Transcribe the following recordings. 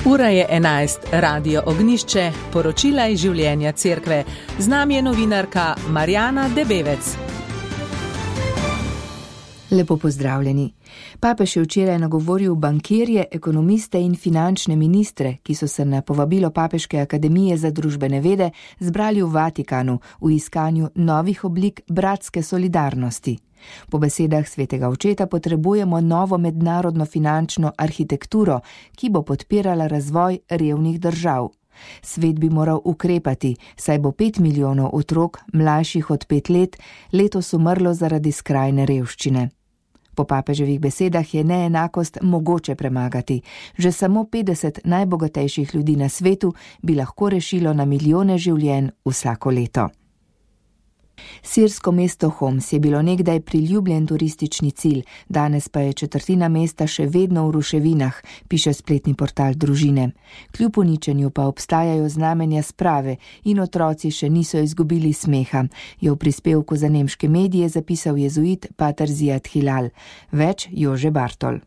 Ura je 11, Radio Ognjišče, poročila iz življenja cerkve. Z nami je novinarka Marjana Debevec. Lepo pozdravljeni. Papež je včeraj nagovoril bankirje, ekonomiste in finančne ministre, ki so se na povabilo Papeške akademije za družbene vede zbrali v Vatikanu v iskanju novih oblik bratske solidarnosti. Po besedah svetega očeta potrebujemo novo mednarodno finančno arhitekturo, ki bo podpirala razvoj revnih držav. Svet bi moral ukrepati, saj bo 5 milijonov otrok, mlajših od 5 let, letos umrlo zaradi skrajne revščine. Po papeževih besedah je neenakost mogoče premagati. Že samo 50 najbogatejših ljudi na svetu bi lahko rešilo na milijone življenj vsako leto. Sirsko mesto Homs je bilo nekdaj priljubljen turistični cilj, danes pa je četrtina mesta še vedno v ruševinah, piše spletni portal družine. Kljub uničenju pa obstajajo znamenja sprave in otroci še niso izgubili smeha, je v prispevku za nemške medije zapisal jezuit pater Ziad Hilal. Več Jože Bartol.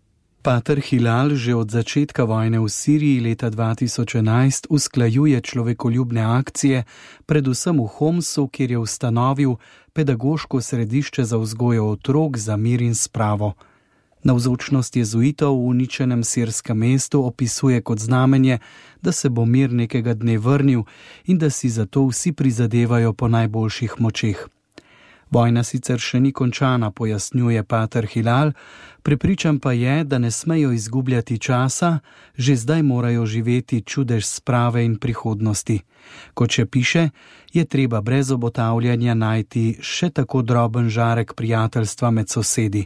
Pater Hilal že od začetka vojne v Siriji leta 2011 usklajuje človekoljubne akcije, predvsem v Homsu, kjer je ustanovil pedagoško središče za vzgojo otrok za mir in spravo. Navzočnost jezuitov v uničenem sirskem mestu opisuje kot znamenje, da se bo mir nekega dne vrnil in da si zato vsi prizadevajo po najboljših močeh. Vojna sicer še ni končana, pojasnjuje pater Hilal, prepričan pa je, da ne smejo izgubljati časa, že zdaj morajo živeti čudež sprave in prihodnosti. Kot še piše, je treba brez obotavljanja najti še tako droben žarek prijateljstva med sosedi.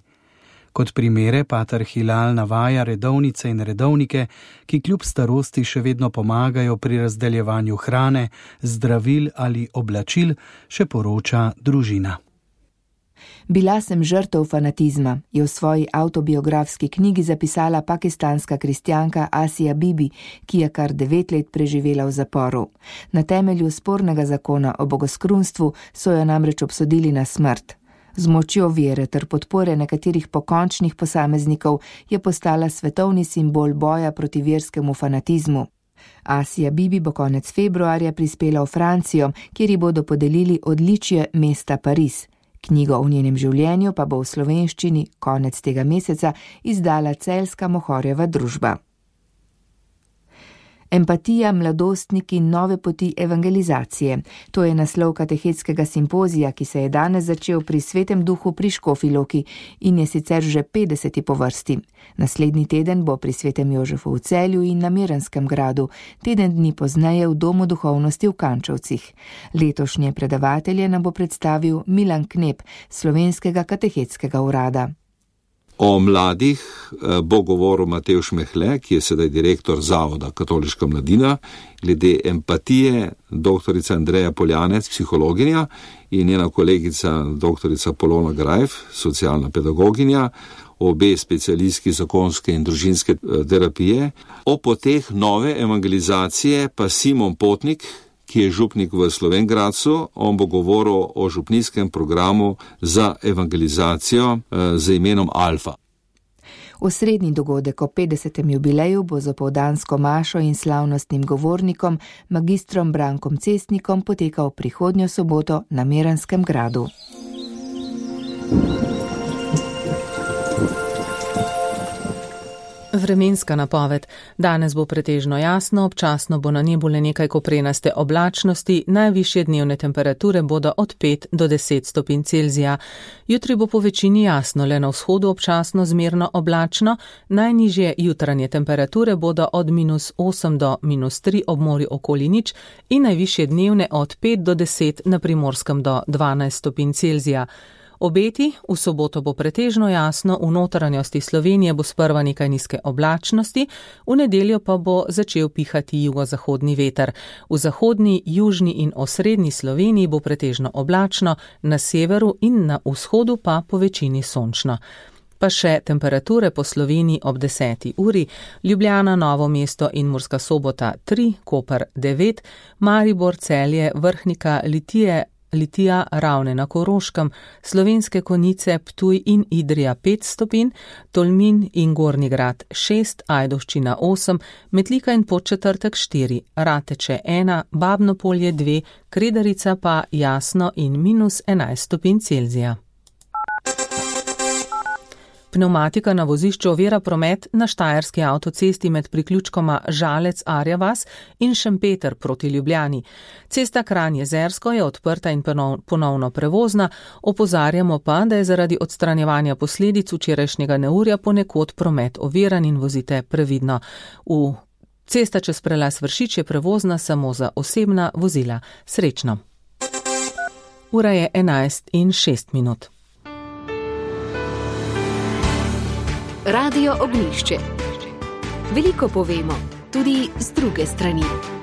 Kot primere pater Hilal navaja redovnice in redovnike, ki kljub starosti še vedno pomagajo pri razdeljevanju hrane, zdravil ali oblačil, še poroča družina. Bila sem žrtev fanatizma, je v svoji avtobiografski knjigi zapisala pakistanska kristjanka Asia Bibi, ki je kar 9 let preživela v zaporu. Na temelju spornega zakona o bogoskrunstvu so jo namreč obsodili na smrt. Z močjo vere ter podpore nekaterih pokončnih posameznikov je postala svetovni simbol boja proti verskemu fanatizmu. Asia Bibi bo konec februarja prispela v Francijo, kjer ji bodo podelili odličje mesta Pariz. Knjigo o njenem življenju pa bo v slovenščini konec tega meseca izdala celjska Mohorjeva družba. Empatija, mladostniki in nove poti evangelizacije. To je naslov katehetskega simpozija, ki se je danes začel pri Svetem duhu pri Škofji Loki in je sicer že 50. po vrsti. Naslednji teden bo pri Svetem Jožefu v Celju in na Miranskem gradu, teden dni pozneje v Domu duhovnosti v Kančovcih. Letošnje predavatelje nam bo predstavil Milan Knep, Slovenskega katehetskega urada. O mladih bo govoril Matevž Mehle, ki je sedaj direktor Zavoda Katoliška mladina, glede empatije doktorica Andreja Poljanec, psihologinja, in njena kolegica doktorica Polona Grajf, socialna pedagoginja, obe specialistki zakonske in družinske terapije. O poteh nove evangelizacije pa Simon Potnik, ki je župnik v Slovenj Gradcu, on bo govoril o župnijskem programu za evangelizacijo z imenom Alfa. Osrednji dogodek o 50. jubileju bo z opoldansko mašo in slavnostnim govornikom, magistrom Brankom Cestnikom, potekal prihodnjo soboto na Miranskem gradu. Vremenska napoved. Danes bo pretežno jasno, občasno bo na nebu le nekaj koprenaste oblačnosti, najvišje dnevne temperature bodo od 5 do 10 stopinj Celzija. Jutri bo po večini jasno, le na vzhodu občasno zmerno oblačno, najnižje jutranje temperature bodo od -8 do -3 ob morju okoli nič in najvišje dnevne od 5 do 10 na Primorskem do 12 stopinj Celzija. Obeti, v soboto bo pretežno jasno, v notranjosti Slovenije bo sprva nekaj nizke oblačnosti, v nedeljo pa bo začel pihati jugozahodni veter. V zahodni, južni in osrednji Sloveniji bo pretežno oblačno, na severu in na vzhodu pa po večini sončno. Pa še temperature po Sloveniji ob 10. uri, Ljubljana, Novo mesto in Murska Sobota 3, Koper 9, Maribor, Celje, Vrhnika, Litije, Litija, Ravne na Koroškem, Slovenske Konjice, Ptuj in Idrija 5 stopinj, Tolmin in Gornji Grad 6, Ajdovščina 8, Metlika in Podčetrtek 4, Rateče 1, Babno Polje 2, Kredarica pa jasno in -11 stopinj Celzija. Pneumatika na vozišču ovira promet na štajerski avtocesti med priključkoma Žalec-Arja vas in Šempeter proti Ljubljani. Cesta Kranj-Jezersko je odprta in ponovno prevozna, opozarjamo pa, da je zaradi odstranjevanja posledic včerajšnjega neurja ponekod promet oviran in vozite previdno. Cesta čez prelaz Vršič je prevozna samo za osebna vozila. Srečno. Ura je 11:06. Radio Ognjišče. Veliko povemo, tudi z druge strani.